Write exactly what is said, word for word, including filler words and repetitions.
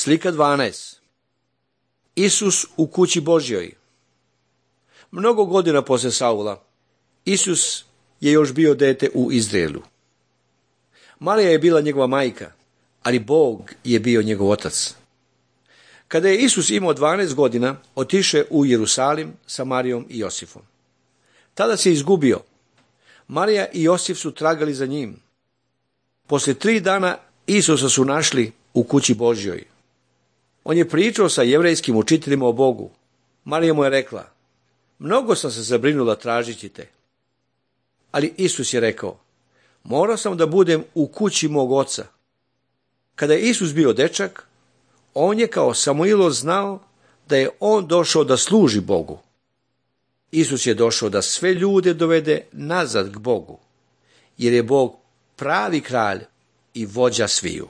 Slika dvanaest. Isus u kući Božjoj. Mnogo godina poslije Saula, Isus je još bio dete u Izraelu. Marija je bila njegova majka, ali Bog je bio njegov otac. Kada je Isus imao dvanaest godina, otiše u Jerusalim sa Marijom i Josifom. Tada se izgubio. Marija i Josif su tragali za njim. Poslije tri dana Isusa su našli u kući Božjoj. On je pričao sa jevrejskim učiteljima o Bogu. Marija mu je rekla: mnogo sam se zabrinula tražeći te. Ali Isus je rekao: morao sam da budem u kući mog oca. Kada je Isus bio dečak, on je kao Samuilo znao da je on došao da služi Bogu. Isus je došao da sve ljude dovede nazad k Bogu, jer je Bog pravi kralj i vođa sviju.